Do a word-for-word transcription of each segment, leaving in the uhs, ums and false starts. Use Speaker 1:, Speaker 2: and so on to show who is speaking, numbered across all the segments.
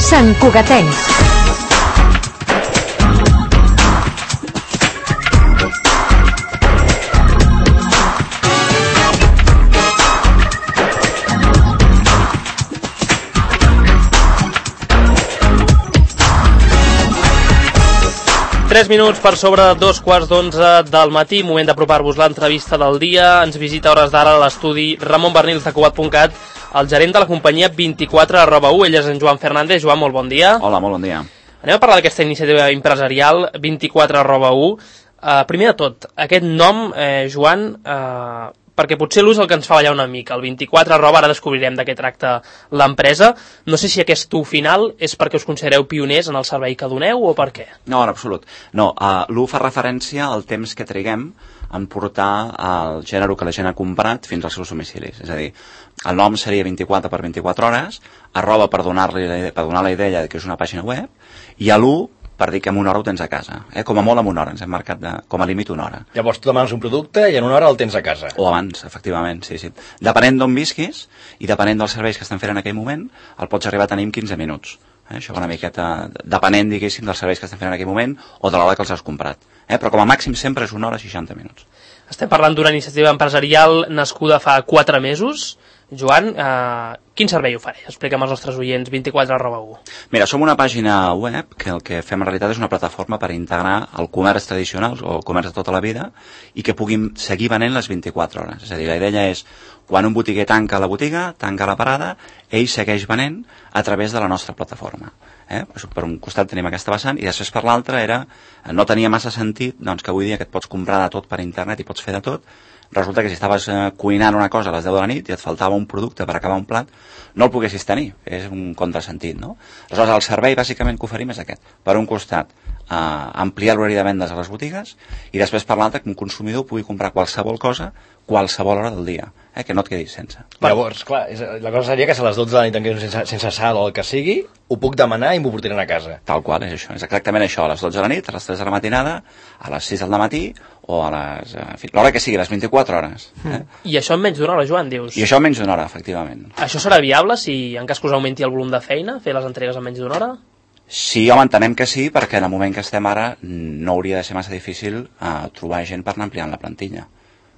Speaker 1: Sant Cugatencs.
Speaker 2: tres minuts per sobre dos quarts d'onze del matí, moment d'apropar-vos l'entrevista del dia. Ens visita a hores d'ara a l'estudi Ramon Bernils de Cugat punt cat, el gerent de la companyia vint-i-quatre arroba u. Ell és en Joan Fernández. Joan, molt bon dia.
Speaker 3: Hola, molt bon dia.
Speaker 2: Anem a parlar d'aquesta iniciativa empresarial vint-i-quatre arroba u. Uh, primer de tot, aquest nom, eh, Joan, uh, perquè potser l'ús el que ens fa ballar una mica, el vint-i-quatre arroba, ara descobrirem de què tracta l'empresa. No sé si aquest u final és perquè us considereu pioners en el servei que doneu o per què?
Speaker 3: No, en absolut. No, uh, l'u fa referència al temps que triguem en portar el gènere que la gent ha comprat fins als seus domicilis. És a dir, el nom seria vint-i-quatre per vint-i-quatre hores, arroba per donar-li per donar la idea que és una pàgina web, i a l'u per dir que en una hora ho tens a casa. Eh? Com a molt en una hora, ens hem marcat de, com a límit una hora.
Speaker 4: Llavors tu demanes un producte i en una hora el tens a casa.
Speaker 3: O abans, efectivament, sí, sí. Depenent d'on visquis i depenent dels serveis que estan fent en aquell moment, el pots arribar a tenir en quinze minuts. Eh? Això una miqueta, depenent, diguéssim, dels serveis que estan fent en aquell moment o de l'hora que els has comprat. Eh? Però com a màxim sempre és una hora seixanta minuts.
Speaker 2: Estem parlant d'una iniciativa empresarial nascuda fa quatre mesos. Joan, eh, quin servei ofereix? Explica'm als nostres oients vint-i-quatre arroba u.
Speaker 3: Mira, som una pàgina web que el que fem en realitat és una plataforma per integrar el comerç tradicional o el comerç de tota la vida i que puguin seguir venent les vint-i-quatre hores. És a dir, la idea és, quan un botiguer tanca la botiga, tanca la parada, ell segueix venent a través de la nostra plataforma. Eh? Per un costat tenim aquesta vessant i després per l'altre era, no tenia massa sentit doncs, que avui dia que et pots comprar de tot per internet i pots fer de tot. Resulta que si estaves eh, cuinant una cosa a les deu de la nit i et faltava un producte per acabar un plat, no el poguessis tenir. És un contrasentit, no? Aleshores, el servei bàsicament que oferim és aquest. Per un costat, eh, ampliar l'horari de vendes a les botigues i després per l'altre que un consumidor pugui comprar qualsevol cosa qualsevol hora del dia, eh, que no et quedis sense.
Speaker 4: Llavors, clar, és, la cosa seria que si a les dotze de la nit em quedo sense, sense sal o el que sigui, ho puc demanar i m'ho portaran a casa.
Speaker 3: Tal qual, és això, és exactament això, a les dotze de la nit, a les tres de la matinada, a les sis del matí o a les... En fi, l'hora que sigui, les vint-i-quatre hores. Eh?
Speaker 2: I això en menys d'una hora, Joan, dius?
Speaker 3: I això en menys d'una hora, efectivament.
Speaker 2: Això serà viable si en cas que us augmenti el volum de feina, fer les entregues en menys d'una hora?
Speaker 3: Sí, home, entenem que sí, perquè en el moment que estem ara no hauria de ser massa difícil eh, trobar gent per anar ampliant la plantilla.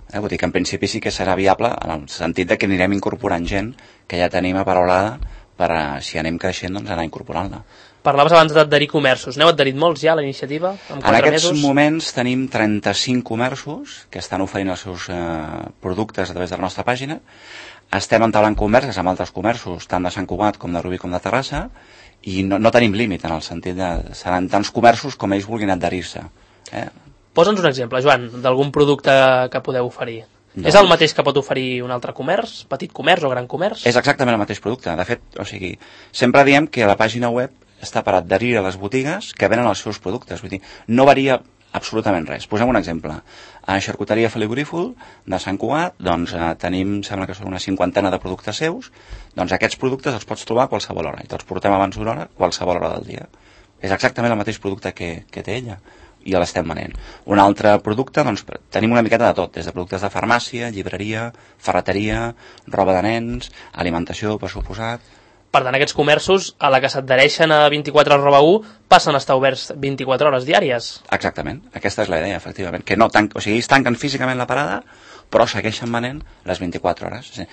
Speaker 3: Eh, vull dir que en principi sí que serà viable en el sentit de que anirem incorporant gent que ja tenim aparolada per a, si anem creixent, doncs anar incorporant-la.
Speaker 2: Parlaves abans d'adherir comerços. N'heu adherit molts ja a la iniciativa? En,
Speaker 3: en aquests
Speaker 2: mesos?
Speaker 3: moments tenim trenta-cinc comerços que estan oferint els seus eh, productes a través de la nostra pàgina. Estem entablant converses amb altres comerços, tant de Sant Cugat com de Rubí com de Terrassa, i no, no tenim límit en el sentit de seran tants comerços com ells vulguin adherir-se. Eh?
Speaker 2: Posa'ns un exemple, Joan, d'algun producte que podeu oferir. Doncs... És el mateix que pot oferir un altre comerç? Petit comerç o gran comerç?
Speaker 3: És exactament el mateix producte. De fet, o sigui, sempre diem que la pàgina web està per adherir a les botigues que venen els seus productes. Vull dir, no varia absolutament res. Posem un exemple. A Xarcuteria Feligorífol de Sant Cugat, doncs eh, tenim, sembla que són una cinquantena de productes seus, doncs aquests productes els pots trobar a qualsevol hora i te'ls portem abans d'una hora, qualsevol hora del dia. És exactament el mateix producte que, que té ella i l'estem venent. Un altre producte, doncs tenim una miqueta de tot, des de productes de farmàcia, llibreria, ferreteria, roba de nens, alimentació, per suposat.
Speaker 2: Per tant, aquests comerços, a la que s'adhereixen a vint-i-quatre arroba u, passen a estar oberts vint-i-quatre hores diàries.
Speaker 3: Exactament, aquesta és la idea, efectivament. Que no tanc... O sigui, ells tanquen físicament la parada, però segueixen venent les vint-i-quatre hores. O sigui,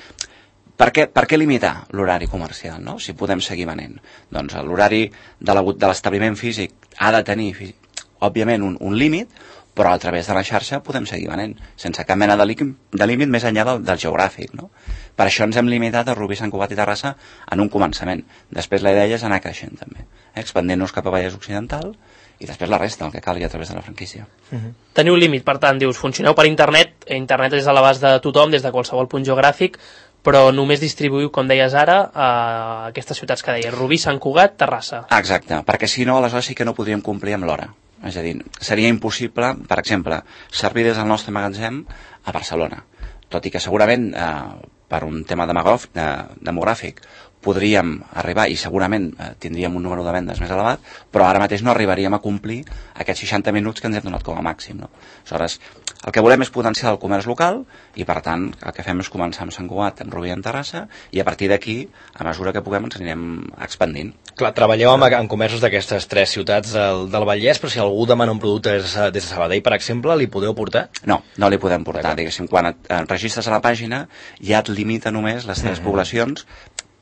Speaker 3: per què, per què limitar l'horari comercial, no? Si podem seguir venent? Doncs l'horari de l'establiment físic ha de tenir, òbviament, un, un límit, però a través de la xarxa podem seguir venent, sense cap mena de, de límit més enllà del, del geogràfic, no? Per això ens hem limitat a Rubí, Sant Cugat i Terrassa en un començament. Després la idea és anar creixent també, eh? Expandint-nos cap a Vallès Occidental i després la resta, el que calgui a través de la franquícia.
Speaker 2: Uh-huh. Teniu límit, per tant, dius, funcioneu per internet, internet és a l'abast de tothom, des de qualsevol punt geogràfic, però només distribuïu, com deies ara, a aquestes ciutats que deies, Rubí, Sant Cugat, Terrassa.
Speaker 3: Exacte, perquè si no, aleshores sí que no podríem complir amb l'hora. És a dir, seria impossible, per exemple, servir des del nostre magatzem a Barcelona, tot i que segurament, eh, per un tema demogràfic, podríem arribar, i segurament eh, tindríem un número de vendes més elevat, però ara mateix no arribaríem a complir aquests seixanta minuts que ens hem donat com a màxim, no? Aleshores, el que volem és potenciar el comerç local, i per tant el que fem és començar amb Sant Cugat, amb Rubí i en Terrassa, i a partir d'aquí, a mesura que puguem, ens anirem expandint.
Speaker 4: Clar, treballeu amb, amb comerços d'aquestes tres ciutats del, del Vallès, però si algú demana un producte des, des de Sabadell, per exemple, li podeu portar?
Speaker 3: No, no li podem portar, diguéssim, quan et, et registres a la pàgina ja et limita només les tres mm-hmm. poblacions,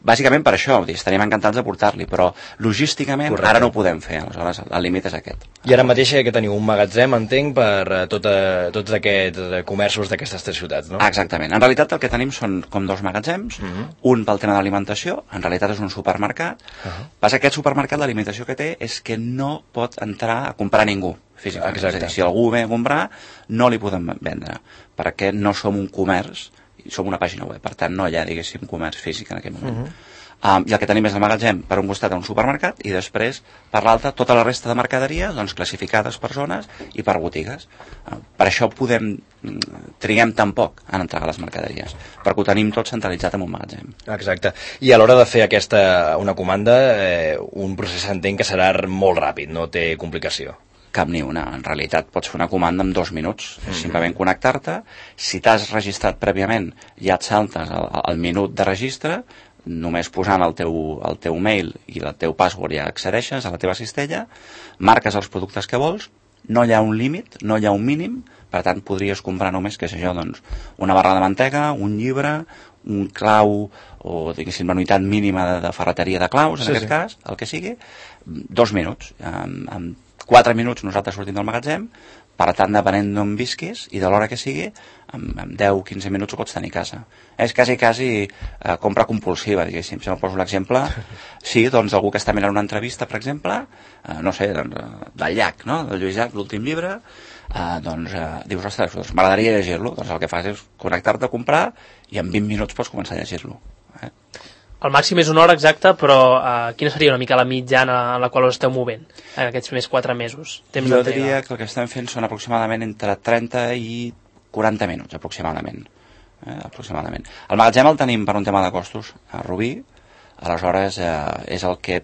Speaker 3: bàsicament per això, dir, estaríem encantats de portar-li, però logísticament Correcte. Ara no ho podem fer, aleshores el límit és aquest.
Speaker 4: I ara mateix que teniu un magatzem, entenc, per tota, tots aquests comerços d'aquestes tres ciutats, no?
Speaker 3: Exactament. En realitat el que tenim són com dos magatzems, uh-huh. un pel tema d'alimentació, en realitat és un supermercat, uh-huh. passa que aquest supermercat la limitació que té és que no pot entrar a comprar ningú físicament. És a dir, si algú ve a comprar, no li podem vendre, perquè no som un comerç, som una pàgina web, per tant no hi ha, diguéssim, comerç físic en aquest moment. Uh-huh. Um, I el que tenim és el magatzem per un costat a un supermercat i després per l'altre tota la resta de mercaderies doncs, classificades per zones i per botigues. Uh, per això podem triguem tan poc en entregar les mercaderies, perquè ho tenim tot centralitzat en un magatzem.
Speaker 4: Exacte. I a l'hora de fer aquesta una comanda, eh, un procés entenc que serà molt ràpid, no té complicació.
Speaker 3: Cap ni una. En realitat pots fer una comanda en dos minuts. Mm-hmm. Simplement connectar-te. Si t'has registrat prèviament, ja et saltes el, el minut de registre, només posant el teu, el teu mail i el teu password ja accedeixes a la teva cistella, marques els productes que vols, no hi ha un límit, no hi ha un mínim, per tant podries comprar només, què sé jo, doncs, una barra de mantega, un llibre, un clau o, diguéssim, la unitat mínima de, de ferreteria de claus, en sí, aquest sí. cas, el que sigui, dos minuts. Amb, amb quatre minuts nosaltres sortim del magatzem, per tant, depenent d'on visquis i de l'hora que sigui, amb, amb deu a quinze minuts ho pots tenir a casa. És quasi, quasi eh, compra compulsiva, diguéssim. Si no poso l'exemple, sí, doncs algú que està mirant una entrevista, per exemple, eh, no sé, doncs, del Llach, no?, del Lluís Llach, l'últim llibre, eh, doncs eh, dius, ostres, doncs, m'agradaria llegir-lo. Doncs el que fas és connectar-te a comprar i en vint minuts pots començar a llegir-lo. Eh?
Speaker 2: El màxim és una hora exacta, però uh, quina seria una mica la mitjana en la qual us esteu movent en aquests primers quatre mesos? Temps
Speaker 3: jo diria que el que estem fent són aproximadament entre trenta i quaranta minuts, aproximadament. Eh, aproximadament. El magatzem el tenim per un tema de costos a Rubí, aleshores eh, és el que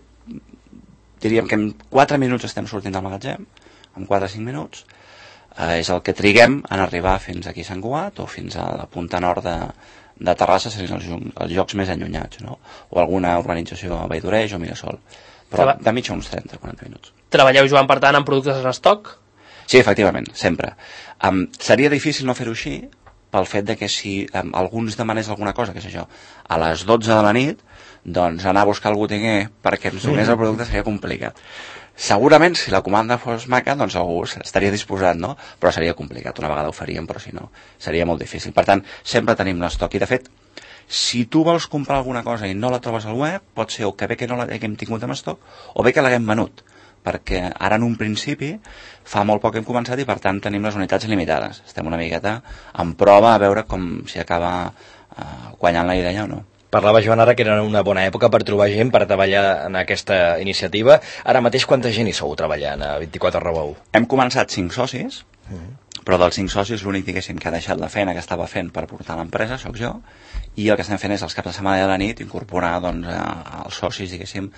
Speaker 3: diríem que en quatre minuts estem sortint del magatzem, en quatre o cinc minuts, eh, és el que triguem en arribar fins aquí a Sant Cugat o fins a la punta nord de de Terrassa serien els, els llocs més allunyats, no? O alguna urbanització a Valldoreig o Mirasol. Però Treba... de mitja uns trenta a quaranta minuts.
Speaker 2: Treballeu, Joan, per tant, amb productes en estoc?
Speaker 3: Sí, efectivament, sempre. Um, seria difícil no fer-ho així pel fet de que si um, algú ens demanés alguna cosa, que és això, a les dotze de la nit, doncs anar a buscar el botiguer perquè ens donés el producte seria complicat. Segurament, si la comanda fos maca, doncs algú estaria disposat, no? Però seria complicat. Una vegada ho faríem, però si no, seria molt difícil. Per tant, sempre tenim l'estoc. I, de fet, si tu vols comprar alguna cosa i no la trobes al web, pot ser o que bé que no l'haguem tingut en estoc, o bé que l'haguem venut. Perquè ara, en un principi, fa molt poc que hem començat i, per tant, tenim les unitats limitades. Estem una miqueta en prova a veure com si acaba eh, guanyant la idea o no.
Speaker 4: Parlava, Joan, ara que era una bona època per trobar gent per treballar en aquesta iniciativa. Ara mateix quanta gent hi sou treballant a vint-i-quatre arroba u?
Speaker 3: Hem començat cinc socis, mm-hmm. però dels cinc socis l'únic, diguéssim, que ha deixat la feina que estava fent per portar l'empresa sóc jo, i el que estem fent és els caps de setmana i de la nit incorporar doncs, els socis, diguéssim,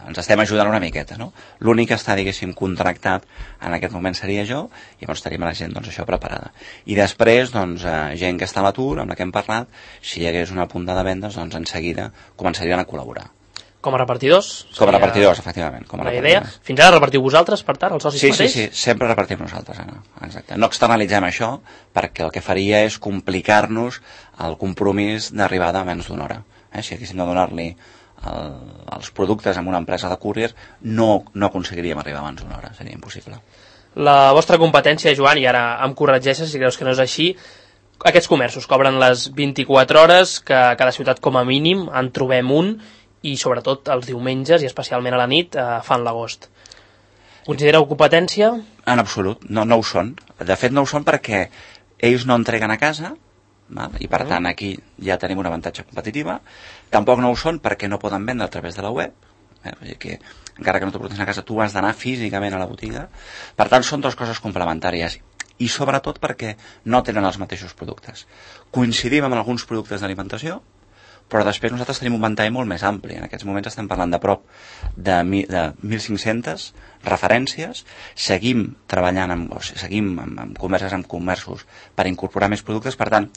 Speaker 3: ens estem ajudant una miqueta, no? L'únic que està, diguéssim, contractat en aquest moment seria jo, i llavors tenim la gent, doncs, això preparada. I després, doncs, gent que està a l'atur, amb la que hem parlat, si hi hagués una punta de vendes, doncs en seguida començarien a col·laborar.
Speaker 2: Com a repartidors?
Speaker 3: Com a repartidors, efectivament. Com a
Speaker 2: la idea. Fins ara repartiu vosaltres, per tant, els socis
Speaker 3: sí,
Speaker 2: mateix?
Speaker 3: Sí, sí, sempre repartim nosaltres, Anna. Exacte. No externalitzem això, perquè el que faria és complicar-nos el compromís d'arribada a menys d'una hora. Eh? Si haguéssim de donar-li el, els productes a una empresa de courier, no, no aconseguiríem arribar abans d'una hora, seria impossible.
Speaker 2: La vostra competència, Joan, i ara em corregeixes si creus que no és així, aquests comerços cobren les vint-i-quatre hores, que a cada ciutat com a mínim en trobem un, i sobretot els diumenges i especialment a la nit eh, fan l'agost. Considereu competència?
Speaker 3: En absolut, no, no ho són. De fet no ho són perquè ells no entreguen a casa, val? I per uh-huh. tant aquí ja tenim un avantatge competitiva. Tampoc no ho són perquè no poden vendre a través de la web, eh? Vull dir que encara que no t'ho portin a casa tu has d'anar físicament a la botiga. Per tant són dues coses complementàries i sobretot perquè no tenen els mateixos productes. Coincidim amb alguns productes d'alimentació, però després nosaltres tenim un ventall molt més ampli. En aquests moments estem parlant de prop de, de mil cinc-centes referències, seguim treballant amb, o sigui, seguim amb, amb converses amb comerços per incorporar més productes, per tant,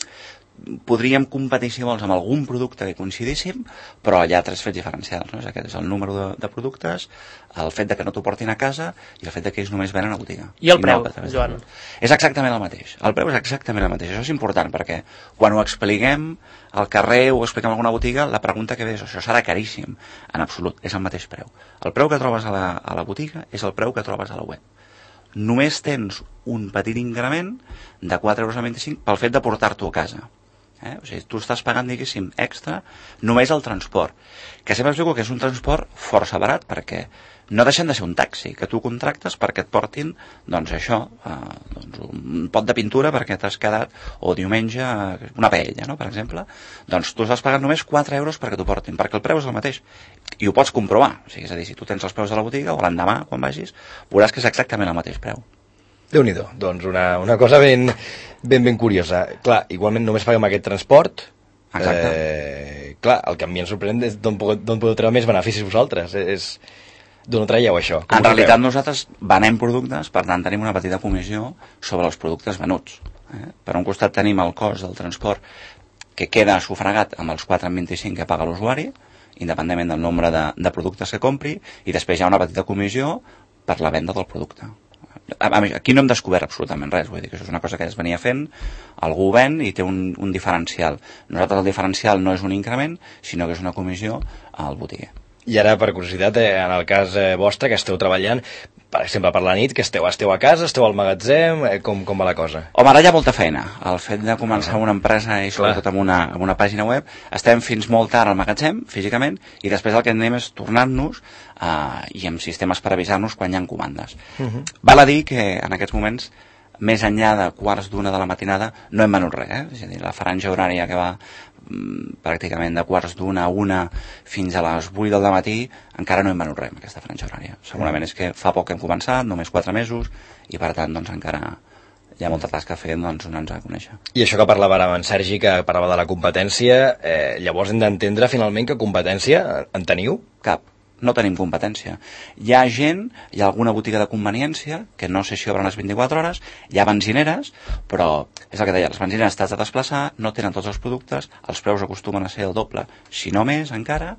Speaker 3: podríem competir, si vols, amb algun producte que coincidíssim, però hi ha tres fets diferencials, no? Aquest és el número de, de productes, el fet de que no t'ho portin a casa i el fet de que ells només venen a botiga.
Speaker 2: I el
Speaker 3: I
Speaker 2: preu,
Speaker 3: no,
Speaker 2: Joan?
Speaker 3: És exactament el mateix. El preu és exactament el mateix. Això és important perquè quan ho expliquem al carrer o ho expliquem a alguna botiga, la pregunta que ve és això serà caríssim. En absolut, és el mateix preu. El preu que trobes a la, a la botiga és el preu que trobes a la web. Només tens un petit increment de quatre euros vint-i-cinc pel fet de portar-t'ho a casa. Eh? O sigui, tu estàs pagant, diguéssim, extra només el transport, que sempre explico que és un transport força barat perquè no deixen de ser un taxi que tu contractes perquè et portin, doncs això, eh, doncs un pot de pintura perquè t'has quedat, o diumenge una paella, no?, per exemple. Doncs tu estàs pagant només quatre euros perquè t'ho portin, perquè el preu és el mateix i ho pots comprovar. O sigui, és a dir, si tu tens els preus de la botiga o l'endemà quan vagis veuràs que és exactament el mateix preu.
Speaker 4: Déu-n'hi-do, doncs una, una cosa ben, ben, ben curiosa. Clar, igualment només paguem aquest transport.
Speaker 3: Exacte.
Speaker 4: Eh, clar, el que a mi em sorprèn és d'on podeu treure més beneficis vosaltres. És d'on ho traieu, això? Com
Speaker 3: en realitat creu? Nosaltres venem productes, per tant tenim una petita comissió sobre els productes venuts. Eh? Per un costat tenim el cost del transport que queda sufragat amb els quatre coma vint-i-cinc que paga l'usuari, independentment del nombre de, de productes que compri, i després hi ha una petita comissió per la venda del producte. Aquí no hem descobert absolutament res, vull dir que això és una cosa que es venia fent, algú ven i té un, un diferencial. Nosaltres el diferencial no és un increment, sinó que és una comissió al botiguer.
Speaker 4: I ara, per curiositat, eh, en el cas eh, vostre, que esteu treballant, per exemple, per la nit, que esteu, esteu a casa, esteu al magatzem, eh, com, com va la cosa?
Speaker 3: Home, ara hi ha molta feina. El fet de començar una empresa i sobretot amb una, amb una pàgina web, estem fins molt tard al magatzem, físicament, i després el que anem és tornar-nos eh, i amb sistemes per avisar-nos quan hi ha comandes. Uh-huh. Val a dir que en aquests moments, més enllà de quarts d'una de la matinada, no hem venut res, eh? És a dir, la franja horària que va pràcticament de quarts d'una a una fins a les vuit del matí encara no hem venut res amb aquesta franja horària. Segurament és que fa poc que hem començat, només quatre mesos, i per tant doncs encara hi ha molta tasca a fer, doncs no ens ha de conèixer.
Speaker 4: I això que parlava ara en Sergi, que parlava de la competència, eh, llavors hem d'entendre finalment que competència en teniu?
Speaker 3: Cap. No tenim competència. Hi ha gent, hi ha alguna botiga de conveniència, que no sé si obren les vint-i-quatre hores, hi ha benzineres, però és el que deia, les benzineres t'has de desplaçar, no tenen tots els productes, els preus acostumen a ser el doble, si no més encara,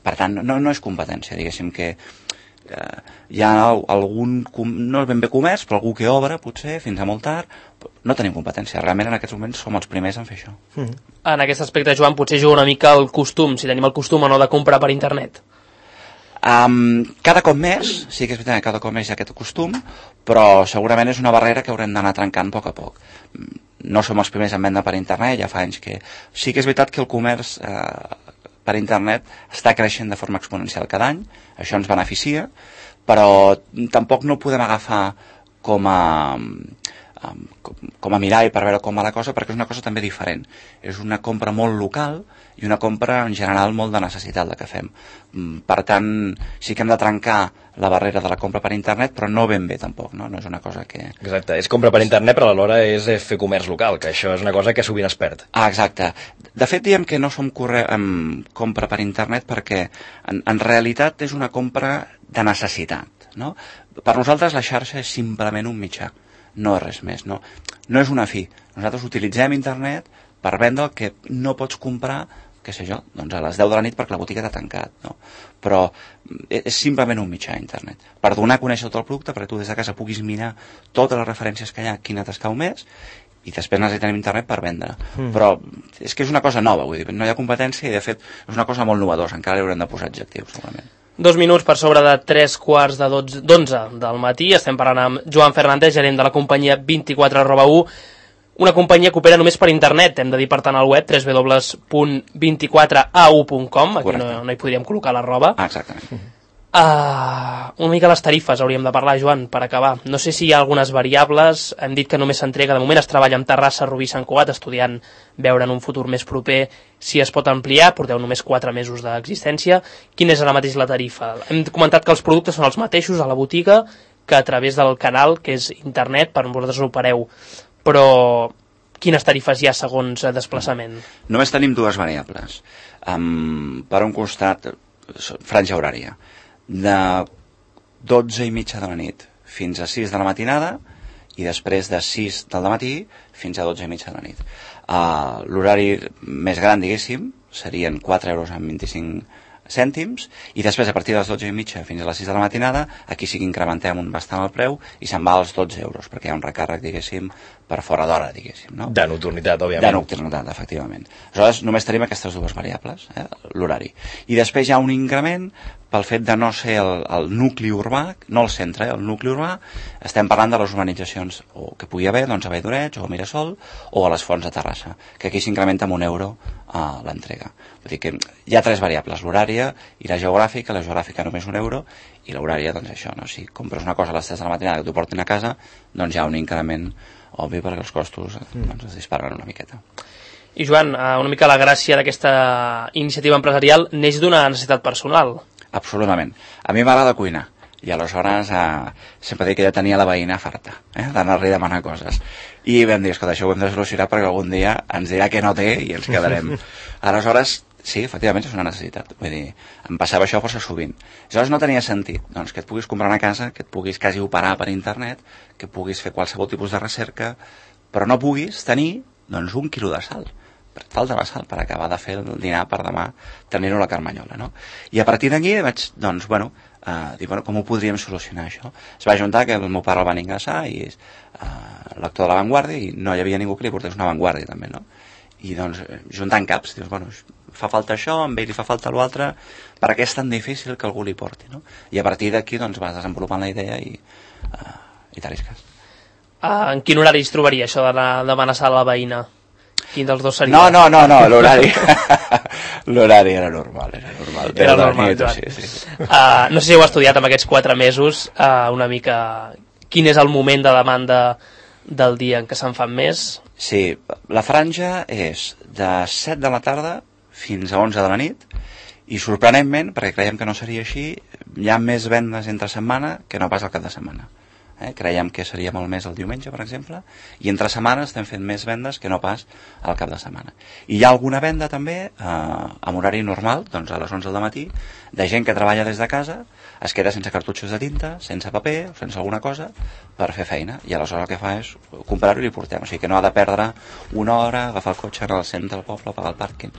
Speaker 3: per tant, no, no és competència, diguéssim que eh, hi ha algun, no és ben bé comerç, però algú que obre, potser, fins a molt tard, no tenim competència. Realment en aquests moments som els primers en fer això.
Speaker 2: Mm. En aquest aspecte, Joan, potser juga una mica el costum, si tenim el costum o no de comprar per internet.
Speaker 3: Um, cada cop més, sí que és veritat que cada cop més hi ha aquest costum, però segurament és una barrera que haurem d'anar trencant a poc a poc. No som els primers en venda per internet, ja fa anys que... Sí que és veritat que el comerç eh, per internet està creixent de forma exponencial cada any, això ens beneficia, però tampoc no ho podem agafar com a... com a mirall per veure com va la cosa, perquè és una cosa també diferent. És una compra molt local i una compra en general molt de necessitat la que fem. Per tant, sí que hem de trencar la barrera de la compra per internet, però no ben bé tampoc, no? No és una cosa que...
Speaker 4: Exacte, és compra per internet, però alhora és fer comerç local, que això és una cosa que sovint es perd.
Speaker 3: Ah, exacte. De fet, diem que no som corre... en compra per internet perquè en, en realitat és una compra de necessitat, no? Per nosaltres la xarxa és simplement un mitjà, no és res més, no, no és una fi. Nosaltres utilitzem internet per vendre el que no pots comprar, què sé jo, doncs a les deu de la nit perquè la botiga t'ha tancat, no? Però és simplement un mitjà internet, per donar a conèixer tot el producte, perquè tu des de casa puguis mirar totes les referències que hi ha, quina t'escau més, i després necessitem internet per vendre. Mm. Però és que és una cosa nova, vull dir, no hi ha competència i de fet és una cosa molt novedosa, encara li haurem de posar adjectius, segurament.
Speaker 2: Dos minuts per sobre de tres quarts de d'onze del matí. Estem parlant amb Joan Fernández, gerent de la companyia vint-i-quatre arroba u, una companyia que opera només per internet, hem de dir per tant al web, w w w punt vint quatre a u punt com, aquí no, no hi podríem col·locar l'arroba.
Speaker 3: Ah, exactament.
Speaker 2: Uh, una mica les tarifes hauríem de parlar, Joan, per acabar. No sé si hi ha algunes variables, hem dit que només s'entrega, de moment es treballa amb Terrassa, Rubí, Sant Cugat, estudiant veure en un futur més proper si es pot ampliar, porteu només quatre mesos d'existència. Quina és ara mateix la tarifa? Hem comentat que els productes són els mateixos a la botiga que a través del canal, que és internet, per vosaltres opereu, però quines tarifes hi ha segons desplaçament?
Speaker 3: Només tenim dues variables. Um, per un costat, franja horària, de dotze i mitja de la nit fins a sis de la matinada i després de sis del matí fins a dotze i mitja de la nit. Uh, L'horari més gran, diguéssim, serien quatre euros amb vint-i-cinc cèntims, i després a partir de les dotze i mitja fins a les sis de la matinada aquí sí que incrementem un bastant el preu i se'n va als dotze euros, perquè hi ha un recàrrec, diguéssim, per fora d'hora, diguéssim, no?
Speaker 4: De nocturnitat, òbviament.
Speaker 3: De nocturnitat, efectivament. Aleshores, només tenim aquestes dues variables, eh? L'horari. I després hi ha un increment pel fet de no ser el, el nucli urbà, no el centre, eh? El nucli urbà, estem parlant de les urbanitzacions o que pugui haver, doncs, a Vall d'Oreig o a Mirasol o a les Fonts de Terrassa, que aquí s'incrementa amb un euro a l'entrega. Vull dir que hi ha tres variables, l'horària i la geogràfica, la geogràfica només un euro, i l'horària, doncs això, no? Si compres una cosa a les tres de la matinada que t'ho portin a casa, doncs hi ha un increment obvi perquè els costos doncs, es disparen una miqueta.
Speaker 2: I Joan, una mica la gràcia d'aquesta iniciativa empresarial neix d'una necessitat personal.
Speaker 3: Absolutament. A mi m'agrada cuinar i aleshores eh, sempre dic que ja tenia la veïna farta, eh, d'anar-li a demanar coses. I vam dir, escolta, això ho hem de solucionar perquè algun dia ens dirà que no té i ens quedarem. Aleshores, sí, efectivament és una necessitat. Vull dir, em passava això força sovint. Aleshores no tenia sentit doncs, que et puguis comprar una casa, que et puguis quasi operar per internet, que puguis fer qualsevol tipus de recerca, però no puguis tenir doncs, un quilo de sal. Et falta la sal per acabar de fer el dinar per demà, tenir-ho a la Carmanyola, no? I a partir d'aquí vaig, doncs, bueno, uh, dir, bueno, com ho podríem solucionar això? Es va juntar que el meu pare el van ingressar i és uh, l'actor de La Vanguardia i no hi havia ningú que li portés una Vanguardia també, no? I doncs, juntant caps, dius, bueno, fa falta això, amb ell li fa falta l'altre, per què és tan difícil que algú li porti, no? I a partir d'aquí, doncs, vas desenvolupant la idea i, uh, i t'arrisques.
Speaker 2: Uh, en quin horari es trobaria això de demanar sal a la veïna? Quin dels dos seria?
Speaker 3: No, no, no, no, l'horari l'horari era normal, era normal.
Speaker 2: Era normal, nit, sí, sí, sí. Uh, no sé si heu estudiat amb aquests quatre mesos uh, una mica quin és el moment de demanda del dia en què se'n fan més.
Speaker 3: Sí, la franja és de set de la tarda fins a onze de la nit i sorprenentment, perquè creiem que no seria així, hi ha més vendes entre setmana que no pas al cap de setmana. Eh? Creiem que seria molt més el diumenge, per exemple, i entre setmanes estem fent més vendes que no pas al cap de setmana. I hi ha alguna venda també, eh, amb horari normal, doncs a les onze del matí, de gent que treballa des de casa, es queda sense cartutxos de tinta, sense paper, o sense alguna cosa, per fer feina, i aleshores el que fa és comprar-ho i li portem. O sigui que no ha de perdre una hora, agafar el cotxe, anar al centre del poble, pagar el pàrquing.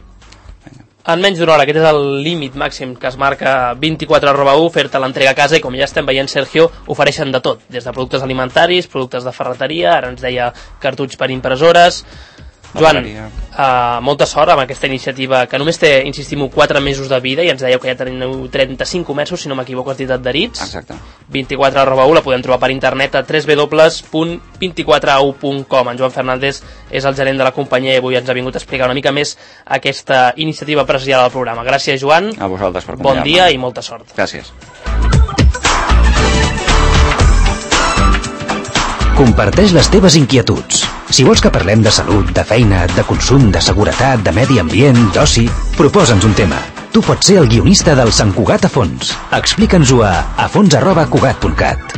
Speaker 2: En menys d'una hora, aquest és el límit màxim que es marca vint-i-quatre arroba u, fer-te l'entrega a casa, i com ja estem veient, Sergio, ofereixen de tot, des de productes alimentaris, productes de ferreteria, ara ens deia cartutx per impressores. Joan, uh, molta sort amb aquesta iniciativa que només té, insistim-ho, quatre mesos de vida i ens dèieu que ja teniu trenta-cinc comerços, si no m'equivoco, has dit adherits.
Speaker 3: Exacte.
Speaker 2: vint-i-quatre arroba u la podem trobar per internet a w w w punt vint quatre u punt com. En Joan Fernández és el gerent de la companyia i avui ens ha vingut a explicar una mica més aquesta iniciativa empresarial del programa. Gràcies, Joan.
Speaker 3: A vosaltres per acompanyar-me.
Speaker 2: Bon dia i molta sort.
Speaker 3: Gràcies.
Speaker 1: Comparteix les teves inquietuds. Si vols que parlem de salut, de feina, de consum, de seguretat, de medi ambient, d'oci, proposa'ns un tema. Tu pots ser el guionista del Sant Cugat a fons. Explica'ns-ho a afons arroba cugat punt cat.